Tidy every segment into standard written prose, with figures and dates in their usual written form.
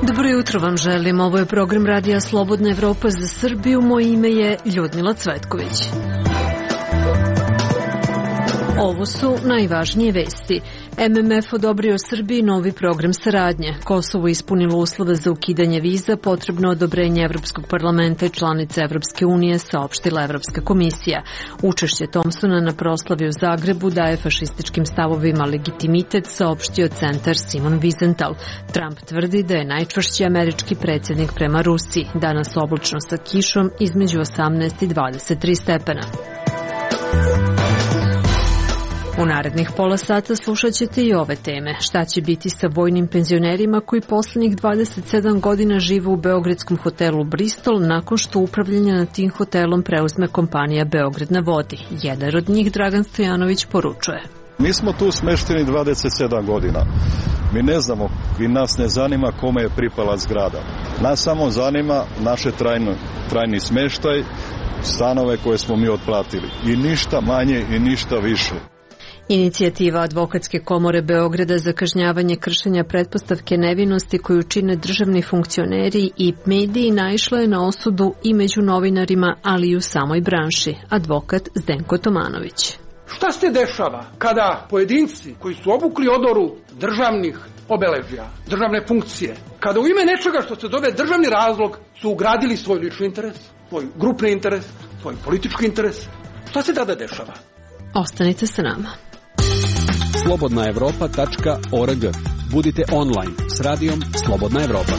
Dobro jutro vam želim. Ovo je program Radija Slobodna Evropa za Srbiju. Moje ime je Ljudmila Cvetković. Ovo su najvažnije vesti. MMF odobrio Srbiji novi program saradnje. Kosovo ispunilo uslove za ukidanje viza, potrebno odobrenje Evropskog parlamenta i članice Evropske unije, saopštila Evropska komisija. Učešće Thompsona na proslavi u Zagrebu daje fašističkim stavovima legitimitet, saopštio centar Simon Wiesenthal. Trump tvrdi da je najčvršći američki predsjednik prema Rusiji. Danas oblačno sa kišom između 18 i 23 stepena. U narednih pola sata slušat ćete i ove teme. Šta će biti sa vojnim penzionerima koji poslednjih 27 godina žive u beogradskom hotelu Bristol nakon što upravljanje nad tim hotelom preuzme kompanija Beograd na vodi. Jedan od njih, Dragan Stojanović, poručuje. Mi smo tu smešteni 27 godina. Mi ne znamo i nas ne zanima kome je pripala zgrada. Nas samo zanima naše trajni smeštaj, stanove koje smo mi otplatili. I ništa manje i ništa više. Inicijativa Advokatske komore Beograda za kažnjavanje kršenja pretpostavke nevinosti koju čine državni funkcioneri i mediji naišla je na osudu i među novinarima, ali i u samoj branši. Advokat Zdenko Tomanović. Šta se dešava kada pojedinci koji su obukli odoru državnih obeležja, državne funkcije, kada u ime nečega što se zove državni razlog su ugradili svoj lični interes, svoj grupni interes, svoj politički interes? Šta se tada dešava? Ostanite sa nama. slobodnaevropa.org. Budite online s radijom Slobodna Evropa.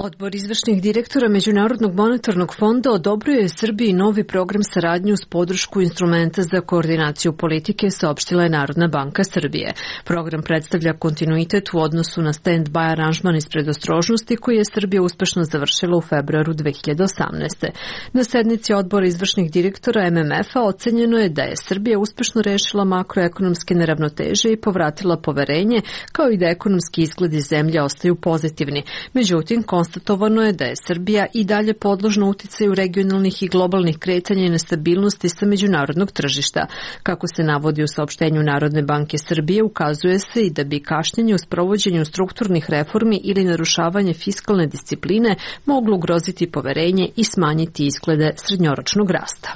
Odbor izvršnih direktora Međunarodnog monetarnog fonda odobrio je Srbiji novi program saradnje uz podršku instrumenta za koordinaciju politike, saopštila je Narodna banka Srbije. Program predstavlja kontinuitet u odnosu na stand-by aranžman iz predostrožnosti koji je Srbija uspešno završila u februaru 2018. Na sednici odbora izvršnih direktora MMF-a ocenjeno je da je Srbija uspešno rešila makroekonomske neravnoteže i povratila poverenje, kao i da ekonomski izgledi zemlje ostaju pozitivni. Međutim, konstatovano je da je Srbija i dalje podložna uticaju regionalnih i globalnih kretanja i nestabilnosti sa međunarodnog tržišta. Kako se navodi u saopštenju Narodne banke Srbije, ukazuje se i da bi kašnjenje u sprovođenju strukturnih reformi ili narušavanje fiskalne discipline moglo ugroziti poverenje i smanjiti izglede srednjoročnog rasta.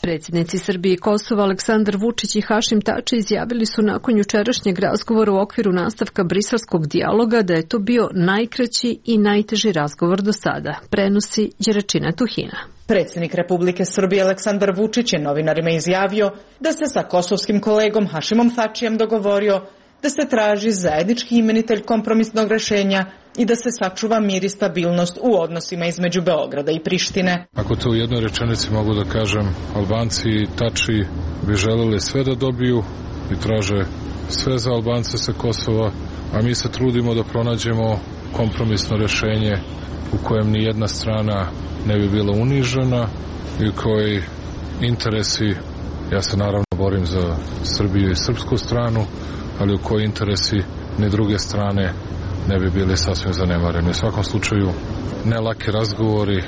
Predsjednici Srbije i Kosova Aleksandar Vučić i Hašim Tači izjavili su nakon jučerašnjeg razgovora u okviru nastavka briselskog dijaloga da je to bio najkraći i najteži razgovor do sada, prenosi Đeračina Tuhina. Predsjednik Republike Srbije Aleksandar Vučić je novinarima izjavio da se sa kosovskim kolegom Hašimom Tačijem dogovorio da se traži zajednički imenitelj kompromisnog rešenja i da se sačuva mir i stabilnost u odnosima između Beograda i Prištine. Ako to u jednoj rečenici mogu da kažem, Albanci i Tači bi želeli sve da dobiju i traže sve za Albance sa Kosova, a mi se trudimo da pronađemo kompromisno rešenje u kojem ni jedna strana ne bi bila unižena i koji interesi, ja se naravno borim za Srbiju i srpsku stranu, ali u koji interesi ni druge strane ne bi bili sasvim zanemareni. U svakom slučaju, ne laki razgovori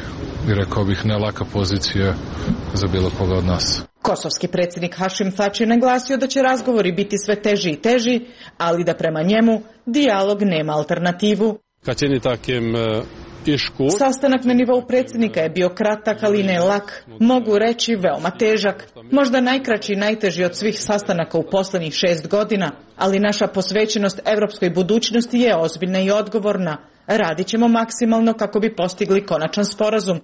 i rekao bih ne laka pozicija za bilo koga od nas. Kosovski predsjednik Hašim Tači je naglasio da će razgovori biti sve teži i teži, ali da prema njemu dijalog nema alternativu. Sastanak na nivou predsjednika je bio kratak, ali ne lak, mogu reći veoma težak. Možda najkraći i najteži od svih sastanaka u poslednjih 6 godina, ali naša posvećenost evropskoj budućnosti je ozbiljna i odgovorna. Radit ćemo maksimalno kako bi postigli konačan sporazum.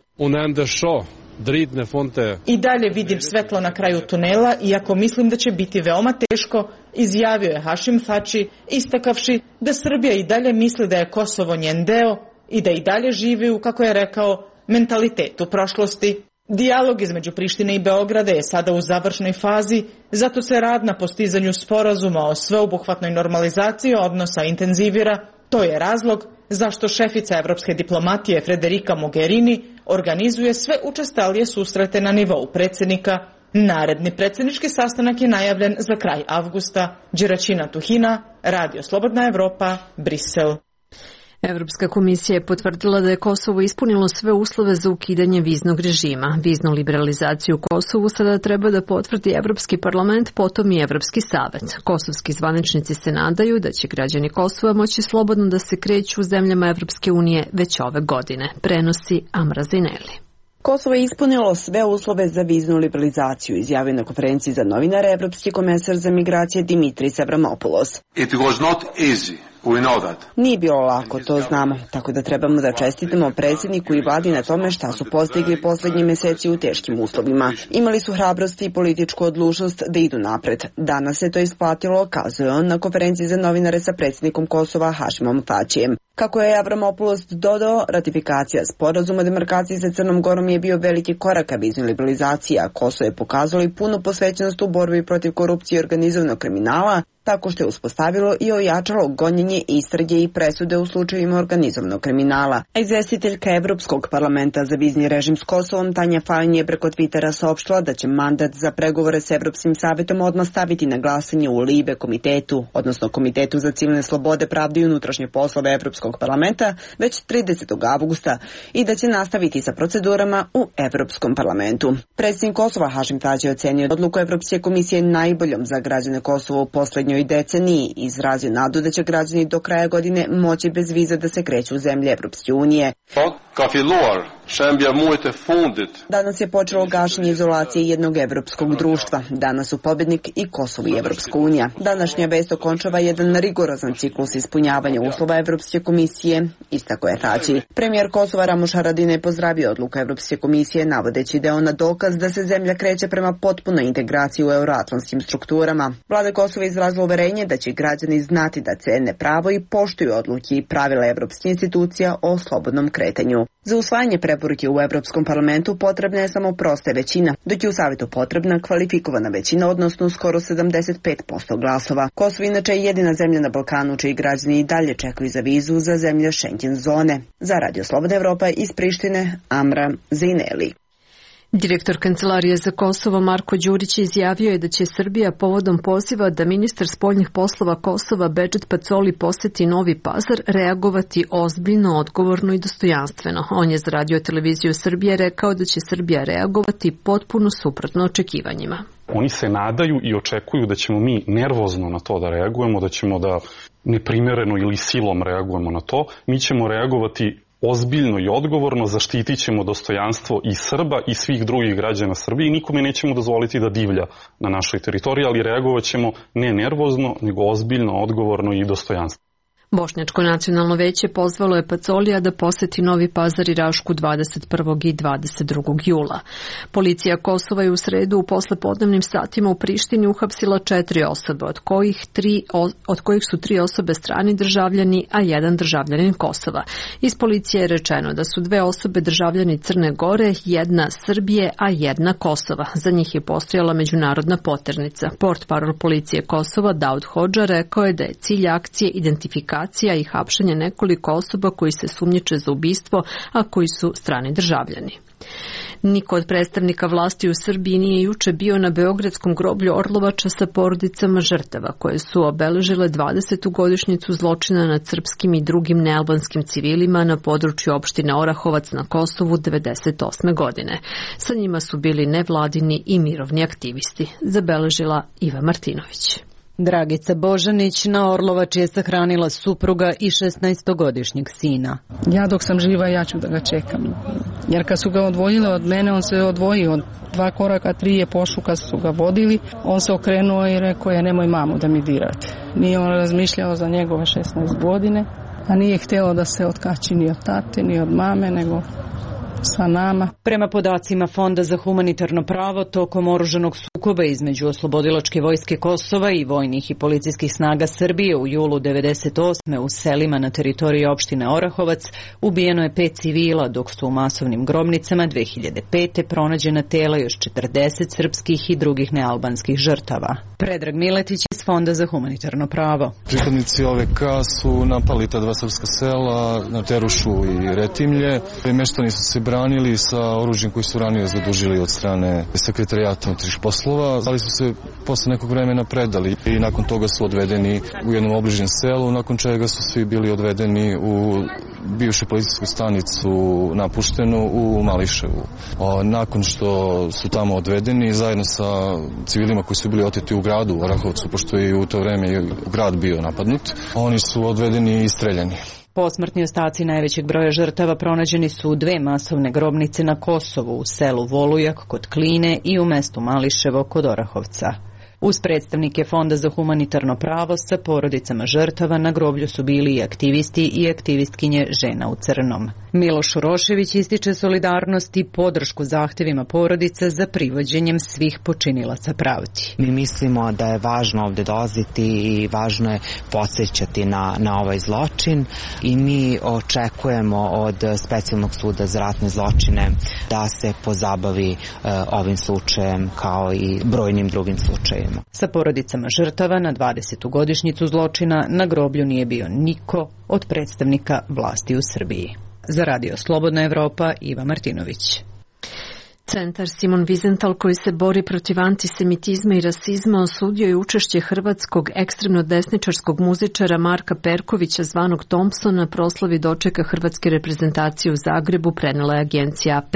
I dalje vidim svetlo na kraju tunela, iako mislim da će biti veoma teško, izjavio je Hašim Tači, istakavši da Srbija i dalje misli da je Kosovo njen deo i da i dalje živi u, kako je rekao, mentalitetu prošlosti. Dijalog između Prištine i Beograda je sada u završnoj fazi, zato se rad na postizanju sporazuma o sveobuhvatnoj normalizaciji odnosa intenzivira. To je razlog zašto šefica evropske diplomatije Federica Mogherini organizuje sve učestalije susrete na nivou predsjednika. Naredni predsjednički sastanak je najavljen za kraj avgusta. Đeračina Tuhina, Radio Slobodna Evropa, Brisel. Evropska komisija je potvrdila da je Kosovo ispunilo sve uslove za ukidanje viznog režima. Viznu liberalizaciju Kosovu sada treba da potvrdi Evropski parlament, potom i Evropski savet. Kosovski zvaničnici se nadaju da će građani Kosova moći slobodno da se kreću u zemljama Evropske unije već ove godine, prenosi Amra Zineli. Kosovo je ispunilo sve uslove za viznu liberalizaciju, izjavio na konferenciji za novinare evropski komesar za migracije Dimitris Avramopoulos. It was not easy. Nije bilo lako, to znamo, tako da trebamo da čestitamo predsjedniku i vladi na tome šta su postigli posljednje mjeseci u teškim uslovima. Imali su hrabrost i političku odlučnost da idu napred. Danas se to isplatilo, kazuje on na konferenciji za novinare sa predsjednikom Kosova Hašimom Tačijem. Kako je Avramopoulos dodao, ratifikacija sporazuma o demarkaciji sa Crnom Gorom je bio veliki korak ka viznoj liberalizaciji, a Kosovo je pokazalo i punu posvećenost u borbi protiv korupcije i organizovanog kriminala, tako što je uspostavilo i ojačalo gonjenje, istrage i presude u slučajevima organizovanog kriminala. Izvjestiteljka Evropskog parlamenta za vizni režim s Kosovom Tanja Fajon je preko Twittera saopštila da će mandat za pregovore s Evropskim savjetom odmah staviti na glasanje u Libe komitetu, odnosno Komitetu za civilne slobode, pravde i unutrašnje poslove Evropskog parlamenta već 30. avgusta i da će nastaviti sa procedurama u Evropskom parlamentu. Predsjednik Kosova Hašim Tači je ocenio odluku Evropske komisije najboljom za građane Kosova u poslednjoj deceniji i izrazio nadu da će građani do kraja godine moći bez viza da se kreću u zemlje Evropske unije. Danas je počelo gašenje izolacije jednog evropskog društva. Danas su pobednik i Kosovo i Evropska unija. Današnja vest okončava jedan rigorozan ciklus ispunjavanja uslova Evropske komisije, istako je Tači. Premijer Kosova Ramuš Haradinaj je pozdravio odluku Evropske komisije, navodeći da je ona dokaz da se zemlja kreće prema potpunoj integraciji u euroatlantskim strukturama. Vlada Kosova izrazila uverenje da će građani znati da cene pravo i poštuju odluke i pravila evropskih institucija o slobodnom kretanju. Za usvajanje preporuke u Evropskom parlamentu potrebna je samo prosta većina, dok je u savjetu potrebna kvalifikovana većina, odnosno skoro 75% glasova. Kosovo inače je jedina zemlja na Balkanu čiji građani i dalje čekaju za vizu za zemlje Schengen zone. Za Radio Slobodna Evropa iz Prištine, Amra Zineli. Direktor Kancelarije za Kosovo Marko Đurić izjavio je da će Srbija povodom poziva da ministar spoljnih poslova Kosova Bedžet Pacoli poseti Novi Pazar reagovati ozbiljno, odgovorno i dostojanstveno. On je za Radio televiziju Srbije rekao da će Srbija reagovati potpuno suprotno očekivanjima. Oni se nadaju i očekuju da ćemo mi nervozno na to da reagujemo, da ćemo da neprimereno ili silom reagujemo na to. Mi ćemo reagovati ozbiljno i odgovorno, zaštitit ćemo dostojanstvo i Srba i svih drugih građana Srbije i nikome nećemo dozvoliti da divlja na našoj teritoriji, ali reagovat ćemo ne nervozno, nego ozbiljno, odgovorno i dostojanstveno. Bošnjačko nacionalno veće pozvalo je Pacolija da poseti Novi Pazar i Rašku 21. i 22. jula. Policija Kosova je u sredu u poslepodnevnim satima u Prištini uhapsila 4 osobe, od kojih su 3 osobe strani državljani, a 1 državljanin Kosova. Iz policije je rečeno da su 2 osobe državljani Crne Gore, 1 Srbije, a 1 Kosova. Za njih je postojala međunarodna poternica. Portparol policije Kosova Daud Hodža rekao je da je cilj akcije identifikacija i hapšenje nekoliko osoba koji se sumnjiče za ubistvo, a koji su strani državljani. Niko od predstavnika vlasti u Srbiji nije juče bio na beogradskom groblju Orlovača sa porodicama žrtava koje su obeležile 20. godišnjicu zločina nad srpskim i drugim nealbanskim civilima na području opštine Orahovac na Kosovu 1998. godine. Sa njima su bili nevladini i mirovni aktivisti, zabeležila Iva Martinović. Dragica Božanić na Orlovači je sahranila supruga i 16-godišnjeg sina. Ja dok sam živa, ja ću da ga čekam. Jer kad su ga odvojile od mene, on se odvojio. 2 koraka, 3 je pošao kad su ga vodili. On se okrenuo i rekao je nemoj mamu da mi dirate. Nije on razmišljao za njegove 16 godine, a nije htjelo da se otkači ni od tate, ni od mame, nego sa nama. Prema podacima Fonda za humanitarno pravo, tokom oružanog sukoba između Oslobodilačke vojske Kosova i vojnih i policijskih snaga Srbije u julu 1998. u selima na teritoriji opštine Orahovac ubijeno je 5 civila, dok su u masovnim grobnicama 2005. pronađena tela još 40 srpskih i drugih nealbanskih žrtava. Predrag Miletić iz Fonda za humanitarno pravo. Pripadnici OVK su napali ta 2 srpska sela na Terušu i Retimlje. Meštani su se branili sa oružjem koji su ranije zadužili od strane Sekretarijata unutrašnjih poslova, ali su se posle nekog vremena predali i nakon toga su odvedeni u jednom obližnjem selu, nakon čega su svi bili odvedeni u bivšu policijsku stanicu napuštenu u Mališevu. Nakon što su tamo odvedeni zajedno sa civilima koji su bili oteti u gradu u Orahovcu, pošto je u to vreme grad bio napadnut, oni su odvedeni i streljani. Posmrtni ostaci najvećeg broja žrtava pronađeni su u 2 masovne grobnice na Kosovu, u selu Volujak kod Kline i u mestu Mališevo kod Orahovca. Uz predstavnike Fonda za humanitarno pravo sa porodicama žrtava na groblju su bili i aktivisti i aktivistkinje Žena u crnom. Miloš Urošević ističe solidarnost i podršku zahtevima porodica za privođenjem svih počinilaca pravdi. Mi mislimo da je važno ovde dolaziti i važno je podsjećati na ovaj zločin i mi očekujemo od Specijalnog suda za ratne zločine da se pozabavi ovim slučajem kao i brojnim drugim slučajevima. Sa porodicama žrtava na 20. godišnjicu zločina na groblju nije bio niko od predstavnika vlasti u Srbiji. Za Radio Slobodna Evropa, Iva Martinović. Centar Simon Wiesenthal, koji se bori protiv antisemitizma i rasizma, osudio je učešće hrvatskog ekstremno desničarskog muzičara Marka Perkovića, zvanog Thompson, na proslavi dočeka hrvatske reprezentacije u Zagrebu, prenela je agencija AP.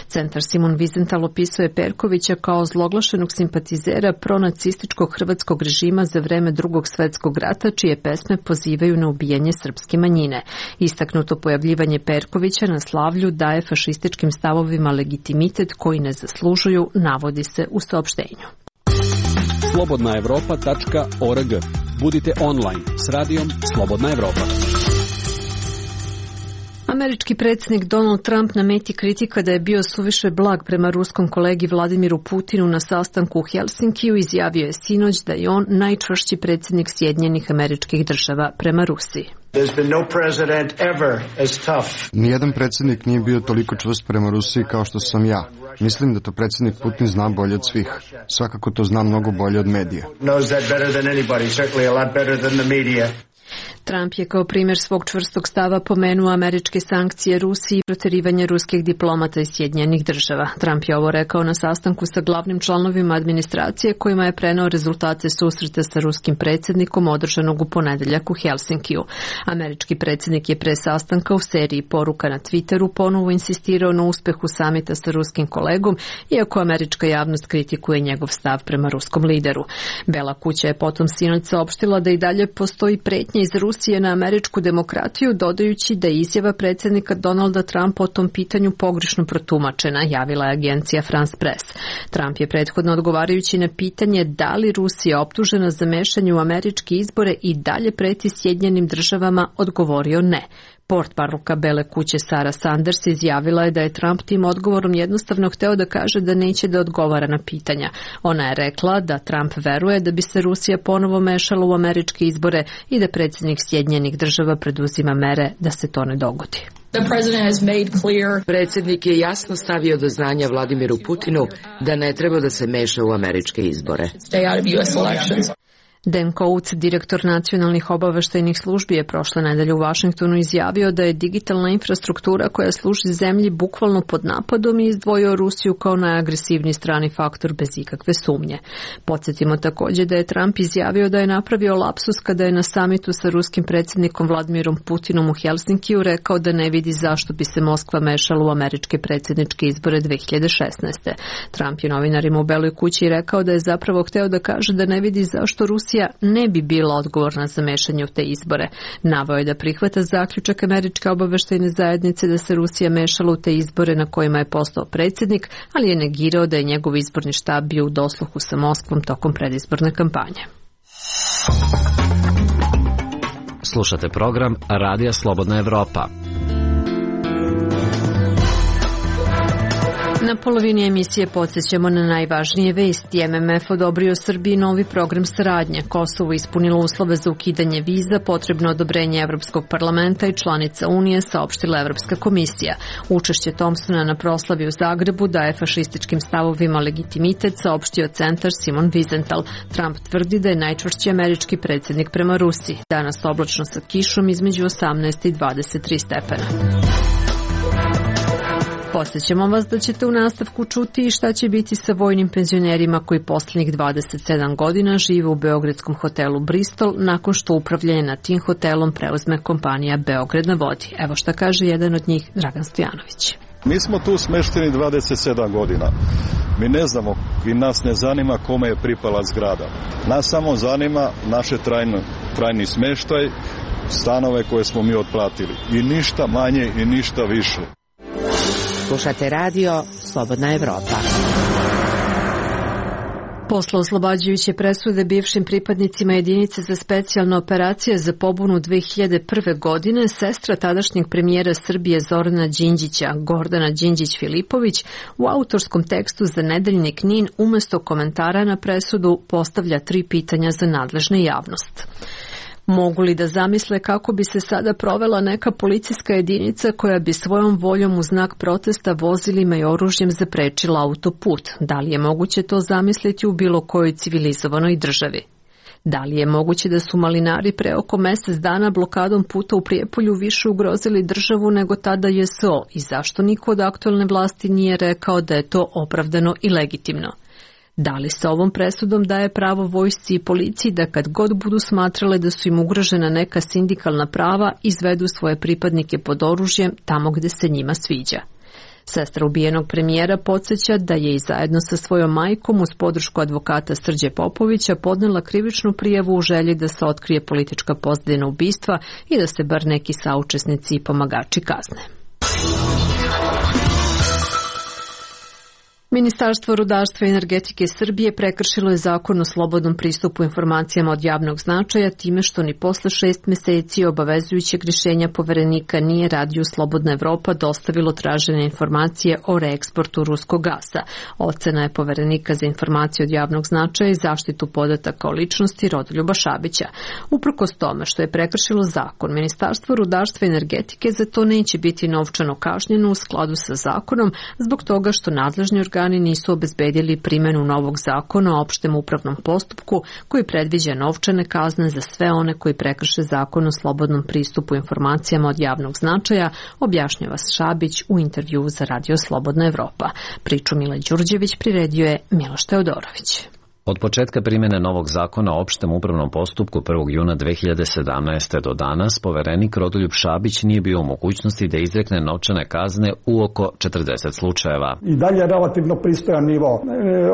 Centar Simon Wiesenthal opisuje Perkovića kao zloglašenog simpatizera pronacističkog hrvatskog režima za vreme Drugog svetskog rata, čije pesme pozivaju na ubijanje srpske manjine. Istaknuto pojavljivanje Perkovića na slavlju daje fašističkim stavovima legitimitet koji ne zaslužuju, navodi se u saopštenju. slobodnaevropa.org. Budite online s radijom Slobodna Evropa. Američki predsjednik Donald Trump na meti kritika da je bio suviše blag prema ruskom kolegi Vladimiru Putinu na sastanku u Helsinkiju izjavio je sinoć da je on najčvršći predsjednik Sjedinjenih Američkih Država prema Rusiji. Nijedan predsjednik nije bio toliko čvrst prema Rusiji kao što sam ja. Mislim da to predsjednik Putin zna bolje od svih. Svakako to zna mnogo bolje od medija. Trump je kao primjer svog čvrstog stava pomenuo američke sankcije Rusiji i protjerivanje ruskih diplomata iz Sjedinjenih Država. Trump je ovo rekao na sastanku sa glavnim članovima administracije kojima je preneo rezultate susreta sa ruskim predsjednikom održanog u ponedeljak u Helsinkiju. Američki predsjednik je pre sastanka u seriji poruka na Twitteru ponovo insistirao na uspehu samita sa ruskim kolegom, iako američka javnost kritikuje njegov stav prema ruskom lideru. Bela kuća je potom sinoć saopštila da i dalje postoji pretnja iz Rusije na američku demokratiju, dodajući da je izjava predsjednika Donalda Trumpa o tom pitanju pogrešno protumačena, javila je agencija France Press. Trump je prethodno odgovarajući na pitanje da li Rusija optužena za mešanje u američke izbore i dalje preti Sjedinjenim Državama odgovorio ne. Portparolka Bele kuće Sara Sanders izjavila je da je Trump tim odgovorom jednostavno hteo da kaže da neće da odgovara na pitanja. Ona je rekla da Trump veruje da bi se Rusija ponovo mešala u američke izbore i da predsjednik Sjedinjenih Država preduzima mere da se to ne dogodi. Predsjednik je jasno stavio do znanja Vladimiru Putinu da ne treba da se meša u američke izbore. Dan Coates, direktor nacionalnih obaveštajnih službi, je prošle nedelje u Vašingtonu izjavio da je digitalna infrastruktura koja služi zemlji bukvalno pod napadom i izdvojio Rusiju kao najagresivniji strani faktor bez ikakve sumnje. Podsjetimo također da je Trump izjavio da je napravio lapsus kada je na samitu sa ruskim predsjednikom Vladimirom Putinom u Helsinkiju rekao da ne vidi zašto bi se Moskva mešala u američke predsjedničke izbore 2016. Trump je novinarima u Beloj kući rekao da je zapravo hteo da kaže da ne vidi zašto Rusija ne bi bila odgovorna za mešanje u te izbore. Naveo je da prihvata zaključak američke obaveštajne zajednice da se Rusija mešala u te izbore na kojima je postao predsjednik, ali je negirao da je njegov izborni štab bio u dosluhu sa Moskvom tokom predizborne kampanje. Slušate program Radija Slobodna Evropa. Na polovini emisije podsjećamo na najvažnije vesti. MMF odobrio Srbiji novi program saradnje. Kosovo ispunilo uslove za ukidanje viza, potrebno odobrenje Evropskog parlamenta i članica Unije, saopštila Evropska komisija. Učešće Thompsona na proslavi u Zagrebu daje fašističkim stavovima legitimitet, saopštio centar Simon Wiesenthal. Trump tvrdi da je najčvršći američki predsjednik prema Rusiji. Danas oblačno sa kišom između 18 i 23 stepena. Podsećamo vas da ćete u nastavku čuti i šta će biti sa vojnim penzionerima koji poslednjih 27 godina žive u beogradskom hotelu Bristol nakon što upravljanje nad tim hotelom preuzme kompanija Beograd na vodi. Evo šta kaže jedan od njih, Dragan Stojanović. Mi smo tu smešteni 27 godina. Mi ne znamo i nas ne zanima kome je pripala zgrada. Nas samo zanima naše trajni smeštaj, stanove koje smo mi otplatili. I ništa manje i ništa više. Slušate radio Slobodna Evropa. Posle oslobađajuće presude bivšim pripadnicima jedinice za specijalne operacije za pobunu 2001. godine, sestra tadašnjeg premijera Srbije Zorana Đinđića, Gordana Đinđić-Filipović, u autorskom tekstu za nedeljnik NIN umesto komentara na presudu postavlja 3 pitanja za nadležne javnost. Mogu li da zamisle kako bi se sada provela neka policijska jedinica koja bi svojom voljom u znak protesta vozilima i oružjem zaprečila autoput? Da li je moguće to zamisliti u bilo kojoj civilizovanoj državi? Da li je moguće da su malinari pre oko mesec dana blokadom puta u Prijepolju više ugrozili državu nego tada JSO i zašto niko od aktuelne vlasti nije rekao da je to opravdano i legitimno? Da li se ovom presudom daje pravo vojsci i policiji da kad god budu smatrale da su im ugrožena neka sindikalna prava, izvedu svoje pripadnike pod oružjem tamo gde se njima sviđa? Sestra ubijenog premijera podsjeća da je i zajedno sa svojom majkom uz podršku advokata Srđe Popovića podnela krivičnu prijavu u želji da se otkrije politička pozadina ubistva i da se bar neki saučesnici i pomagači kazne. Ministarstvo rudarstva i energetike Srbije prekršilo je zakon o slobodnom pristupu informacijama od javnog značaja time što ni posle 6 meseci obavezujućeg rješenja poverenika nije Radio Slobodna Evropa dostavilo tražene informacije o reeksportu ruskog gasa. Ocena je poverenika za informacije od javnog značaja i zaštitu podataka o ličnosti Rodoljuba Šabića. Uprkos tome što je prekršilo zakon, Ministarstvo rudarstva i energetike za to neće biti novčano kažnjeno u skladu sa zakonom zbog toga što nadležni organi nisu obezbedili primjenu novog zakona o opštem upravnom postupku koji predviđa novčane kazne za sve one koji prekrše zakon o slobodnom pristupu informacijama od javnog značaja, objašnjava Šabić u intervju za Radio Slobodna Evropa. Priču Mile Đurđević priredio je Miloš Teodorović. Od početka primjene novog zakona o opštem upravnom postupku 1. juna 2017. do danas, poverenik Rodoljub Šabić nije bio u mogućnosti da izrekne novčane kazne u oko 40 slučajeva. I dalje je relativno pristojan nivo,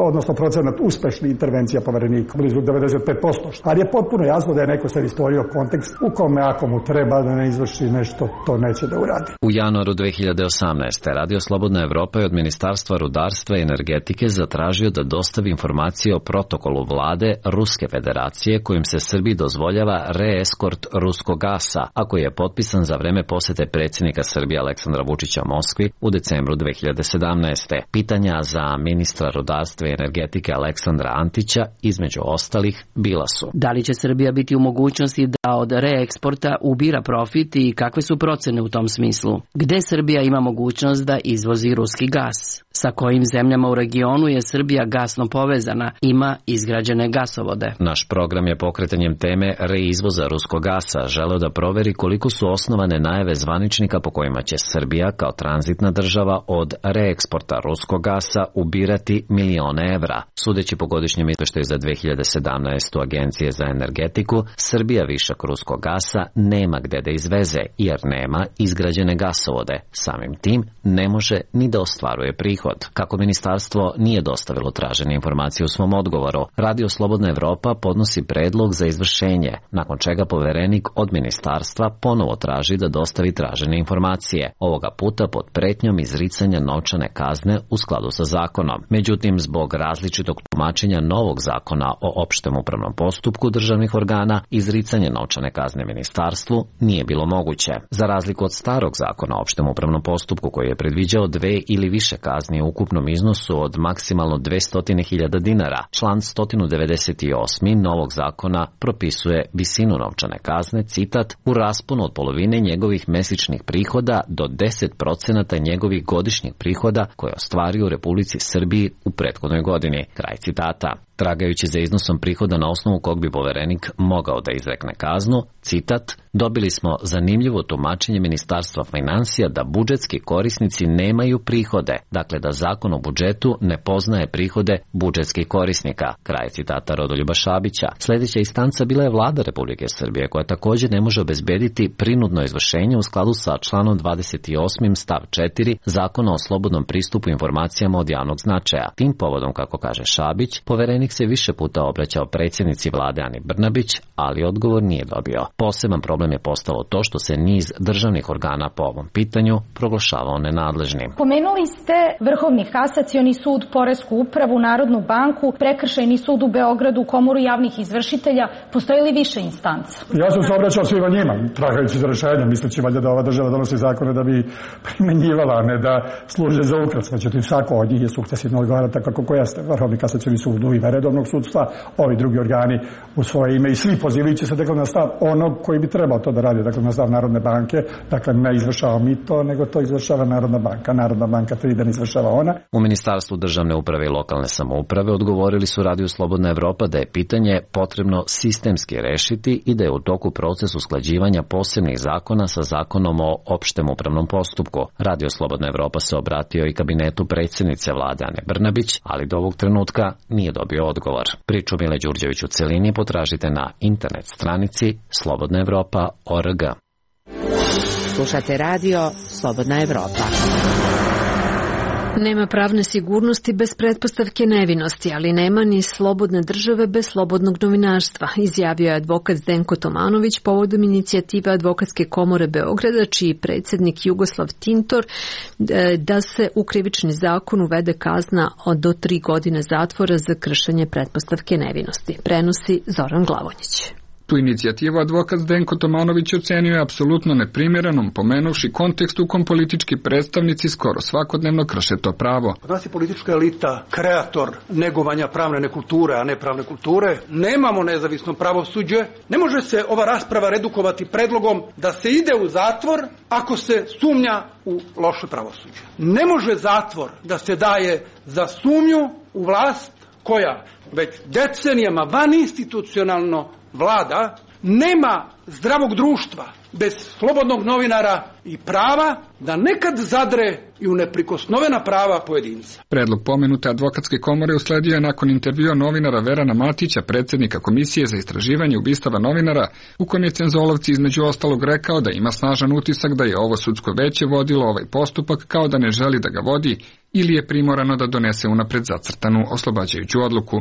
odnosno procenat uspešnih intervencija poverenika, blizu 95%. Ali je potpuno jasno da je neko sad stvorio kontekst u kome ako mu treba da ne izvrši nešto, to neće da uradi. U januaru 2018. Radio Slobodna Evropa je od Ministarstva rudarstva i energetike zatražio da dostavi informacije o protokolu vlade Ruske federacije kojim se Srbiji dozvoljava reeskort ruskog gasa, a koji je potpisan za vreme posete predsjednika Srbije Aleksandra Vučića Moskvi u decembru 2017. Pitanja za ministra rudarstva i energetike Aleksandra Antića, između ostalih, bila su: da li će Srbija biti u mogućnosti da od reeksporta ubira profit i kakve su procene u tom smislu? Gde Srbija ima mogućnost da izvozi ruski gas? Sa kojim zemljama u regionu je Srbija gasno povezana, ima izgrađene gasovode? Naš program je pokretanjem teme reizvoza ruskog gasa želeo da proveri koliko su osnovane najave zvaničnika po kojima će Srbija kao tranzitna država od reeksporta ruskog gasa ubirati milione evra. Sudeći po godišnjem izveštaju za 2017. Agencije za energetiku, Srbija višak ruskog gasa nema gde da izveze jer nema izgrađene gasovode. Samim tim ne može ni da ostvaruje prihod. Kako ministarstvo nije dostavilo tražene informacije u svom odgovoru, Radio Slobodna Evropa podnosi predlog za izvršenje, nakon čega poverenik od ministarstva ponovo traži da dostavi tražene informacije, ovoga puta pod pretnjom izricanja novčane kazne u skladu sa zakonom. Međutim, zbog različitog tumačenja novog zakona o opštem upravnom postupku državnih organa, izricanje novčane kazne ministarstvu nije bilo moguće. Za razliku od starog zakona o opštem upravnom postupku koji je predviđao 2 ili više kazni u ukupnom iznosu od maksimalno 200.000 dinara, član 198. novog zakona propisuje visinu novčane kazne, citat, u rasponu od polovine njegovih mesečnih prihoda do 10% njegovih godišnjih prihoda koje ostvario u Republici Srbiji u prethodnoj godini. Kraj citata. tragajući za iznosom prihoda na osnovu kog bi poverenik mogao da izrekne kaznu. Citat: dobili smo zanimljivo tumačenje Ministarstva finansija da budžetski korisnici nemaju prihode, dakle da zakon o budžetu ne poznaje prihode budžetskih korisnika. Kraj citata Rodoljuba Šabića. Sljedeća instanca bila je Vlada Republike Srbije, koja također ne može obezbediti prinudno izvršenje u skladu sa članom 28. stav 4 Zakona o slobodnom pristupu informacijama od javnog značaja. Tim povodom, kako kaže Šabić, poverenik se više puta obraćao predsjednici Vlade Ani Brnabić, ali odgovor nije dobio. Poseban problem je postalo to što se niz državnih organa po ovom pitanju proglašavao nenadležnim. Pomenuli ste Vrhovni kasacioni sud, Poresku upravu, Narodnu banku, Prekršajni sud u Beogradu, Komoru javnih izvršitelja. Postoji li više instanca? Ja sam se obraćao svima njima, tragajući za rešenja, misleći valjda da ova država donosi zakone da bi primenjivala, a ne da služe za ukras. Međutim, svako od njih je sukcesivno odgovara tako kako jeste. Vrhovni kasacioni sud u ime redovnog sudstva, ovi drugi organi u svoje ime i svi pozivajući se dakle na stav onog koji bi trebao to da radi, dakle na stav Narodne banke, dakle ne izvršava mi to, nego to izvršava Narodna banka. Narodna banka to ide, ne izvršava ona. U Ministarstvu državne uprave i lokalne samouprave odgovorili su Radiju Slobodna Evropa da je pitanje potrebno sistemski rešiti i da je u toku proces usklađivanja posebnih zakona sa zakonom o opštem upravnom postupku. Radio Slobodna Evropa se obratio i kabinetu predsjednice Vlade Ane Brnabić, ali do ovog trenutka nije dobio odgovor. Priču Mile Đurđević u celini potražite na internet stranici slobodnaevropa.org. Slušate radio Slobodna Evropa. Nema pravne sigurnosti bez pretpostavke nevinosti, ali nema ni slobodne države bez slobodnog novinarstva, izjavio je advokat Zdenko Tomanović povodom inicijative Advokatske komore Beograda, čiji predsjednik Jugoslav Tintor, da se u krivični zakon uvede kazna od do 3 godine zatvora za kršenje pretpostavke nevinosti. Prenosi Zoran Glavonjić. Tu inicijativu advokat Zdenko Tomanović ocenio je apsolutno neprimjerenom, pomenuvši kontekst u kom politički predstavnici skoro svakodnevno krše to pravo. Kod nas je politička elita kreator negovanja pravne nekulture, a ne pravne kulture. Nemamo nezavisno pravosuđe. Ne može se ova rasprava redukovati predlogom da se ide u zatvor ako se sumnja u loše pravosuđe. Ne može zatvor da se daje za sumnju u vlast koja već decenijama vaninstitucionalno vlada. Nema zdravog društva bez slobodnog novinara i prava da nekad zadre i u neprikosnovena prava pojedinca. Predlog pomenute advokatske komore usledio je nakon intervjua novinara Verana Matića, predsjednika Komisije za istraživanje ubistava novinara, u kojem je Cenzolovci između ostalog rekao da ima snažan utisak da je ovo sudsko veće vodilo ovaj postupak kao da ne želi da ga vodi ili je primorano da donese unapred zacrtanu oslobađajuću odluku.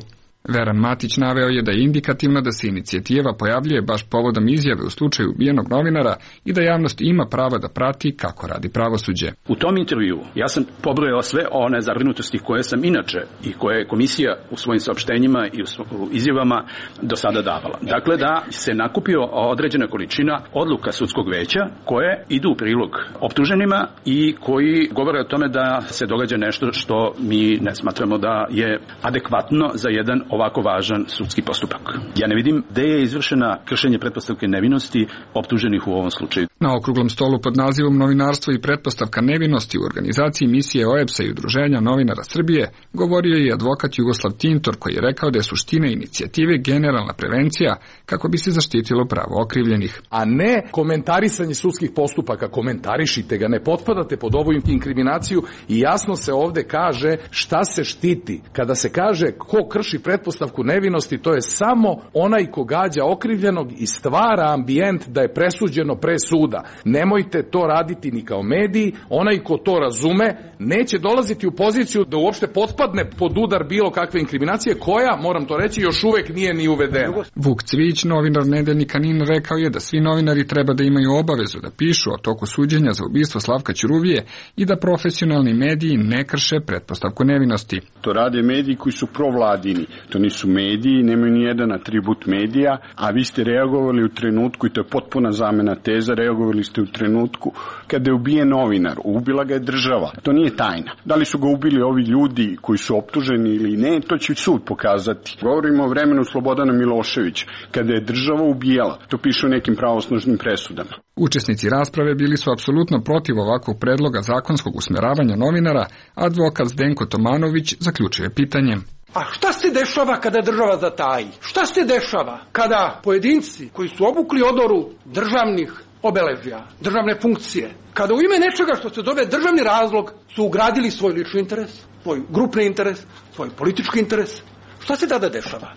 Veran Matić naveo je da je indikativno da se inicijativa pojavljuje baš povodom izjave u slučaju ubijenog novinara i da javnost ima prava da prati kako radi pravosuđe. U tom intervju ja sam pobrojao sve one zabrinutosti koje sam inače i koje je komisija u svojim saopštenjima i u izjavama do sada davala. Dakle, da se nakupio određena količina odluka sudskog veća koje idu u prilog optuženima i koji govore o tome da se događa nešto što mi ne smatramo da je adekvatno za jedan ovako važan sudski postupak. Ja ne vidim gde je izvršena kršenje pretpostavke nevinosti optuženih u ovom slučaju. Na okruglom stolu pod nazivom Novinarstvo i pretpostavka nevinosti u organizaciji misije OEBS-a i Udruženja novinara Srbije govorio je i advokat Jugoslav Tintor, koji je rekao da je suština inicijative generalna prevencija kako bi se zaštitilo pravo okrivljenih. A ne komentarisanje sudskih postupaka. Komentarišite ga, ne potpadate pod ovu inkriminaciju i jasno se ovde kaže šta se štiti. Kada se kaže ko krši pretpostavku nevinosti, to je samo onaj ko gađa okrivljenog i stvara ambijent da je presuđeno pre suda. Nemojte to raditi ni kao mediji. Onaj ko to razume neće dolaziti u poziciju da uopšte potpadne pod udar bilo kakve inkriminacije koja, moram to reći, još uvek nije ni uvedena. Vuk Cvijić, novinar nedeljnika NIN, rekao je da svi novinari treba da imaju obavezu da pišu o toku suđenja za ubistvo Slavka Ćuruvije i da profesionalni mediji ne krše pretpostavku nevinosti. To rade mediji koji su provladini. To nisu mediji, nemaju ni jedan atribut medija, a vi ste reagovali u trenutku, i to je potpuna zamena teza, reagovali ste u trenutku kada je ubijen novinar, ubila ga je država. To nije tajna. Da li su ga ubili ovi ljudi koji su optuženi ili ne, to će sud pokazati. Govorimo o vremenu Slobodana Miloševića, kada je država ubijala. To piše u nekim pravosnažnim presudama. Učesnici rasprave bili su apsolutno protiv ovakvog predloga zakonskog usmeravanja novinara, a advokat Zdenko Tomanović zaključuje pitanjem. A šta se dešava kada država zataji? Šta se dešava kada pojedinci koji su obukli odoru državnih obeležja, državne funkcije, kada u ime nečega što se zove državni razlog su ugradili svoj lični interes, svoj grupni interes, svoj politički interes? Šta se tada dešava?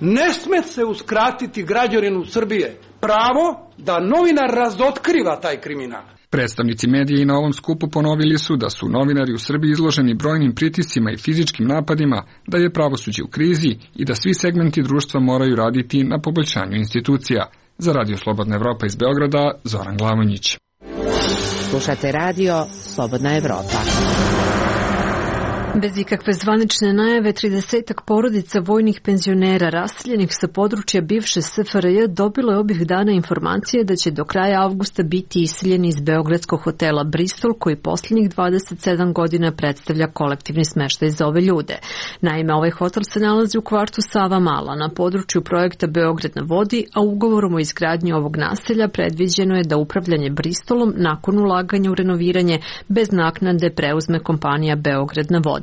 Ne sme se uskratiti građaninu Srbije pravo da novinar razotkriva taj kriminal. Predstavnici medija i na ovom skupu ponovili su da su novinari u Srbiji izloženi brojnim pritiscima i fizičkim napadima, da je pravosuđe u krizi i da svi segmenti društva moraju raditi na poboljšanju institucija. Za Radio Slobodna Evropa iz Beograda, Zoran Glavonjić. Slušate radio Slobodna Evropa. Bez ikakve zvanične najave, 30 porodica vojnih penzionera raseljenih sa područja bivše SFRJ dobilo je ovih dana informacije da će do kraja avgusta biti iseljeni iz beogradskog hotela Bristol, koji posljednjih 27 godina predstavlja kolektivni smeštaj za ove ljude. Naime, ovaj hotel se nalazi u kvartu Savamala na području projekta Beograd na vodi, a ugovorom o izgradnji ovog naselja predviđeno je da upravljanje Bristolom nakon ulaganja u renoviranje bez naknade preuzme kompanija Beograd na vodi.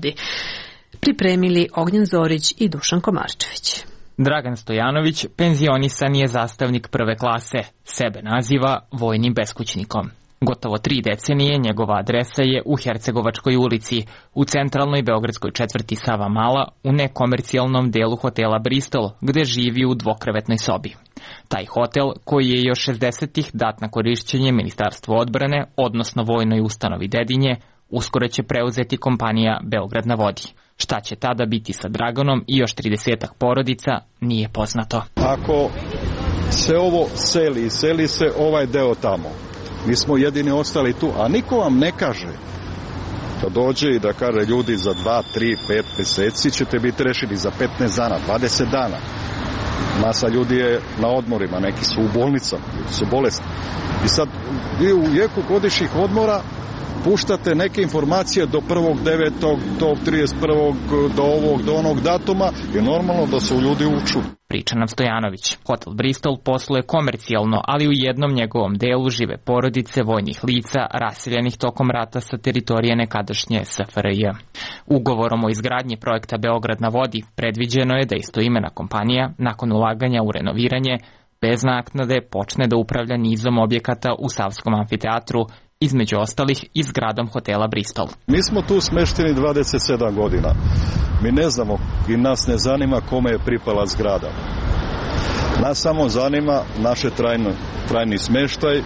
Pripremili Ognjen Zorić i Dušan Komarčević. Dragan Stojanović penzionisan je zastavnik prve klase, sebe naziva vojnim beskućnikom. Gotovo 3 decenije njegova adresa je u Hercegovačkoj ulici, u centralnoj beogradskoj četvrti Savamala, u nekomercijalnom delu hotela Bristol, gde živi u dvokrevetnoj sobi. Taj hotel, koji je još 60-ih dat na korišćenje Ministarstvu odbrane, odnosno vojnoj ustanovi Dedinje, uskoro će preuzeti kompanija Beograd na vodi. Šta će tada biti sa Draganom i još 30-ak porodica, nije poznato. Ako se ovo seli se ovaj deo tamo. Mi smo jedini ostali tu, a niko vam ne kaže. Da dođe i da kaže ljudi za 2, 3, 5 meseci ćete biti rešeni, za 15 dana, 20 dana. Masa ljudi je na odmorima, neki su u bolnicama, ljudi su bolesni. I sad vi u jeku godišnjih odmora puštate neke informacije do 1.9., do 31. do ovog, do onog datuma i normalno da su ljudi uču. Priča nam Stojanović. Hotel Bristol posluje komercijalno, ali u jednom njegovom delu žive porodice vojnih lica raseljenih tokom rata sa teritorije nekadašnje SFRJ. Ugovorom o izgradnji projekta Beograd na vodi predviđeno je da istoimena kompanija, nakon ulaganja u renoviranje, bez naknade počne da upravlja nizom objekata u Savskom amfiteatru, između ostalih i zgradom hotela Bristol. Mi smo tu smešteni 27 godina. Mi ne znamo i nas ne zanima kome je pripala zgrada. Nas samo zanima naše trajni smeštaj,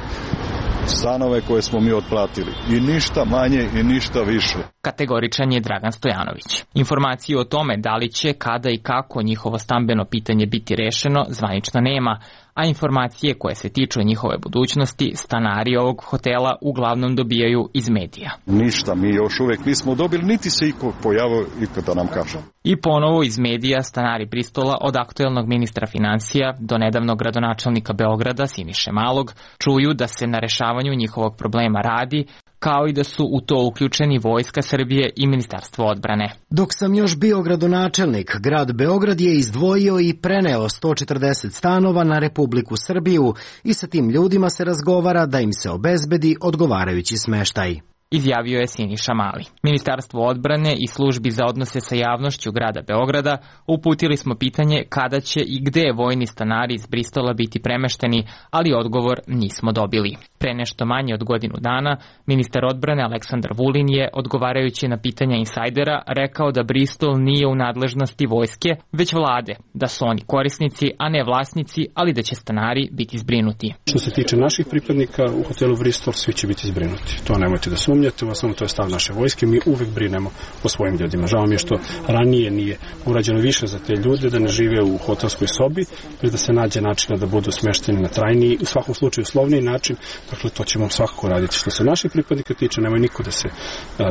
stanove koje smo mi otplatili. I ništa manje i ništa više. Kategoričan je Dragan Stojanović. Informaciju o tome da li će, kada i kako njihovo stambeno pitanje biti rešeno zvanično nema, a informacije koje se tiču njihove budućnosti stanari ovog hotela uglavnom dobijaju iz medija. Ništa, mi još uvek nismo dobili, niti se iko pojavio da nam kaže. I ponovo iz medija stanari Bristola, od aktuelnog ministra financija do nedavnog gradonačelnika Beograda Siniše Malog, čuju da se na rešavanju njihovog problema radi, kao i da su u to uključeni Vojska Srbije i Ministarstvo odbrane. Dok sam još bio gradonačelnik, grad Beograd je izdvojio i preneo 140 stanova na Republiku Srbiju i sa tim ljudima se razgovara da im se obezbedi odgovarajući smeštaj. Izjavio je Siniša Mali. Ministarstvo odbrane i službi za odnose sa javnošću grada Beograda uputili smo pitanje kada će i gde vojni stanari iz Bristola biti premešteni, ali odgovor nismo dobili. Pre nešto manje od godinu dana, ministar odbrane Aleksandar Vulin je, odgovarajući na pitanja insajdera, rekao da Bristol nije u nadležnosti vojske, već vlade, da su oni korisnici, a ne vlasnici, ali da će stanari biti zbrinuti. Što se tiče naših pripadnika u hotelu Bristol, svi će biti zbrinuti. To nemojte da sumnjate, samo to je stav naše vojske, mi uvek brinemo o svojim ljudima. Žao mi je što ranije nije urađeno više za te ljude, da ne žive u hotelskoj sobi, već da se nađe načina da budu smešteni na trajniji, u svakom slučaju uslovniji način. Dakle, to ćemo svakako raditi. Što se naših pripadnika tiče, nemoj niko da se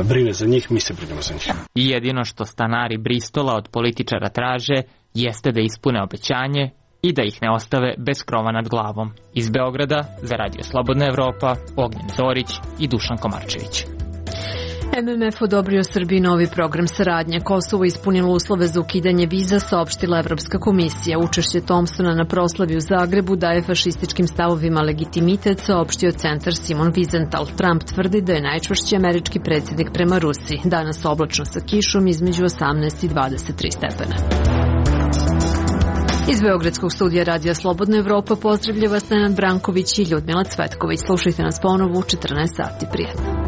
brine za njih, mi se brinemo za njih. I jedino što stanari Bristola od političara traže jeste da ispune obećanje i da ih ne ostave bez krova nad glavom. Iz Beograda za Radio Slobodna Evropa, Ognjen Zorić i Dušan Komarčević. MMF odobrio Srbiji novi program saradnje. Kosovo ispunilo uslove za ukidanje viza, saopštila Evropska komisija. Učešće Thompsona na proslavi u Zagrebu daje fašističkim stavovima legitimitet, saopštio centar Simon Wiesenthal. Trump tvrdi da je najčvršći američki predsjednik prema Rusiji. Danas oblačno sa kišom između 18 i 23 stepena. Iz Beogradskog studija Radija Slobodna Evropa pozdravlja vas Nenad Branković i Ljudmila Cvetković. Slušajte nas ponovo u 14 sati. Prijetno.